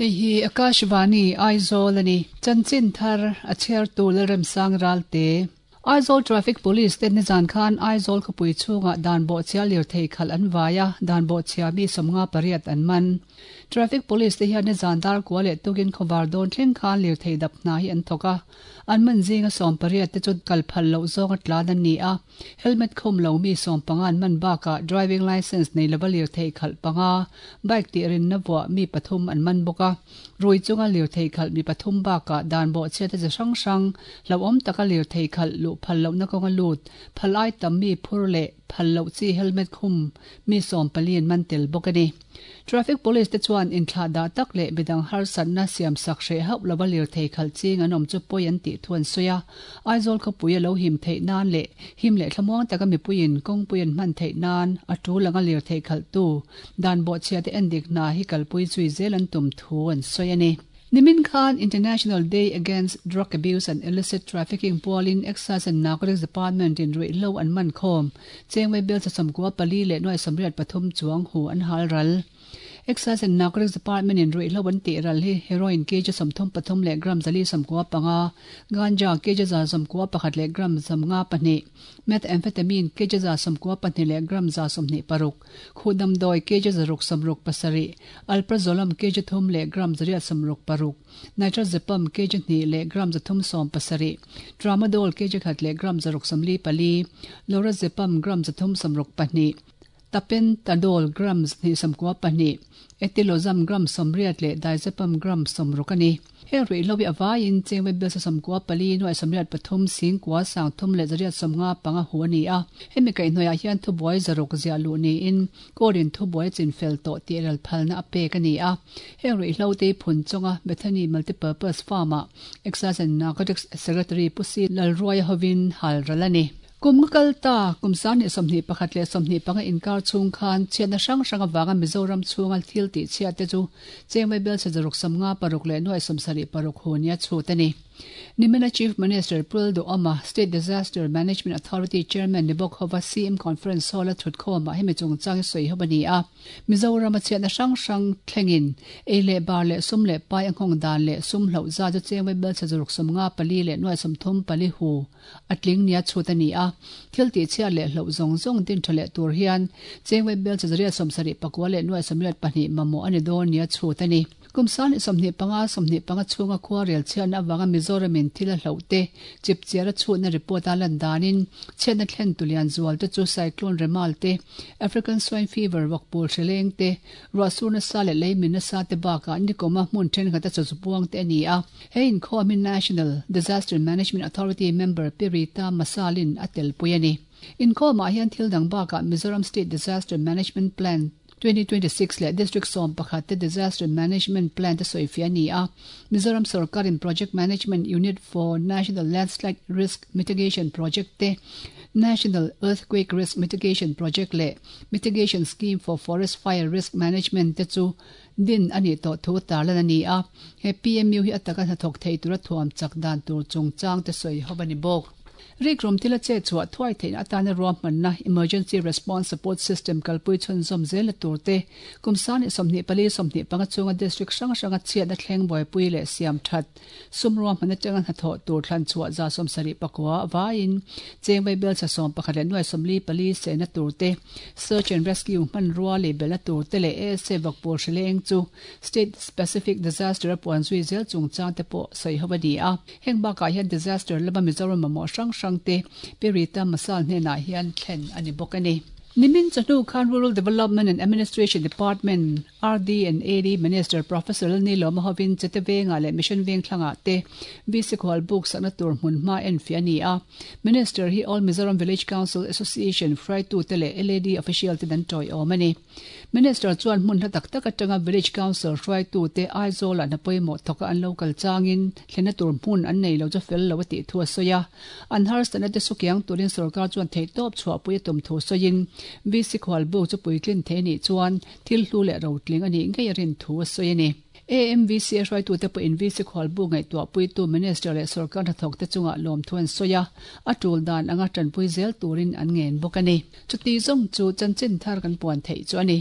Hei hi Akashvani Aizawl a ni. Chanchin thar a chhiartu Lalremsang Ralte. Aizawl Traffic Police te nizan khan Aizawl khawpui chhungah dan bawhchhia lirthei khalh an vai a, dan bawhchhia mi 58 an man. Traffic Police te hian nizan dar kua leh tukin khawvar dawn thleng khan lirthei dap hna hi an thawk a, an man zinga 18 te chu kal phal loh zawnga tlan an ni a, helmet khum lo mi 15 an man bakah driving licence nei lova lirthei khalh panga, bike tih rinna vuah mi pathum an man bawk a. Rui chunga lirthei khalh mi pathum bakah dan bawhchhiat a chi hrang hrang, hlauhawm taka lirthei khalh luh phal lohna kawnga lut, phal ai tam mi phur leh phal loh chi helmet khum mi 14 an man tel bawk a ni. Traffic Police te chuan inthlah dah tak leh midang harsatna siamsak hreh hauh lova lirthei khalh ching an awm chu pawi an tih thu an sawi a. Aizawl khawpui a lo him theih nan leh him leh thlamuang taka mipuiin kawngpui an hman theih nan a tul anga lirthei khalhtu Dan bawhchhiate endik hna hi kalpui zui zel an tum thu an sawi a ni. Nimin khan International Day Against Drug Abuse and Illicit Trafficking pualin Excise and Narcotics Department in ruihhlo an man khawm Chengwei bel 94 leh nuai 83 chuang hu an hal ral. Excise and Narcotics Department in ruihhlo an tih ral hi heroin kg 33 leh gram 495, ganja kg 191 leh gram 52, methamphetamine kg 92 leh gram 126, Khuh damdawi kg 667, Alprazolam kg 3 leh gram 866, Nitrazepam kg 2 leh gram 370, Tramadol kg 1 leh gram 644, Lorazepam gram 362, Tapentadol gram 292, Etilozam gram 80 leh Diazepam gram 60 a ni. Heng ruihhlo hi a vaiin Chengwei Bial 94 nuai 83 sing kua 30 leh 155 hu a ni a. Hemi kaihhnawihah hian thubuai zaruk ziah luh niin Court-in thubuai chin fel tawh tih ral phalna a pek a ni a. Heng ruihhlo te hi phun chawnga Bethany Multipurpose Farm-ah Excise and Narcotics Secretary Pu Si Lalruaia hovin hal ral a ni. Kum nga kal ta, kum 2021 leh 25 inkar chhung khan chhiatna hrang hrang avanga Mizoram chhunga thil tih chhiat te chu Chengwei Bel 6 56 leh nuai 76 hu nia chhut a ni. Nimina Chief Minister Pul Duhoma, State Disaster Management Authority Chairman ni bawk hova CM Conference Hall-a thutkhawmah hemi chungchang hi sawi ho a ni a. Mizorama chhiatna hrang hrang thlengin ei leh bar leh sum leh pai a nghawng dan leh sum hloh zat chu Chengwei Bel 654 leh nuai 34 hu A tling nia chhut a ni a, thil tihchhiat leh hloh zawng zawng din tha leh tur hian Chengwei Bel 779 leh nuai 82 mamawh a ni dawn nia chhut a ni. Kum 2025 25 chhunga khua rel chhiatna avanga Mizoramin thil a hloh te chip chiar a chhutna report a lan danin chhiatna thlen tulian zual te chu Cyclone Remal te, African Swine Fever vawkpul hrileng te, ruahsur nasa leh leimin nasa te bakah nikawma hmun thenkhat a chawzupuang te a ni a. He inkhawm hi National Disaster Management Authority member Pi Rita Masalin a telpui a ni. Inkhawmah hian thil dang bakah Mizoram State Disaster Management Plan 2026 leh District 11 te Disaster Management Plan te sawifiah a ni a. Mizoram sorkarin Project Management Unit for National Landslide Risk Mitigation Project te, National Earthquake Risk Mitigation Project leh Mitigation Scheme for Forest Fire Risk Management te chu Din a nih tawh thu tarlan a ni a, he PMU hi a taka hnathawk thei tura thuam chak dan tur chungchang te sawi ho a ni bawk. Rikrum thil a chet chhuah thuai theihna atana ruahmanna Emergency Response Support System kalpui chhunzawm zelna tur te, kum 2024 25 chhunga district hrang hranga chhiatna thleng buaipui leh siam that Sum ruahman atanga hnathawh tur thlan chhuah 79 vaiin Chengwei Belsa 11 leh nuai 44 sehna tur te, Search and Rescue hmanrua lei belhna tur te leh ASA vakpawl hrileng chu State Specific Disaster a puan zui zel chungchang te pawh sawi ho a ni a. Heng bakah hian disaster lama Mizoram mamawh hrang hrang te Pi Rita Masal hnenah hian thlen a ni bawk a ni. Nimin chawhnu khan Rural Development and Administration Department, RD and AD Minister Professor Lalnilawma hovin Chete Vengah leh Mission Vengthlangah te VC khual buk sakna tur hmunhma enfiah a ni a. Minister hi All Mizoram Village Council Association hruaitute leh LAD official ten an tawiawm a ni. Minister chuan hmun hla tak tak atanga Village Council hruaitute Aizawlah hna pawimawh thawka an lo kal changin thlenna tur hmun an nei lo chu fel lo a tih thu a sawi a. An harsatna te sukiang turin sorkar chuan theihtawp chhuahpui a tum thu sawiin VC khual buk chu puitlin thei a nih chuan Thil hlu leh rotling a nih ngei a rin thu a sawi a ni. AMVC a hruaitute pawhin VC khualbu ngaihtuahpuitu Minister leh sawrkar hnathawkte chungah lawmthu an sawi a, a tul dan anga tanpui zel turin an ngen bawk a ni. Chuti zawng chu chanchin thar kan puan theih chu a ni.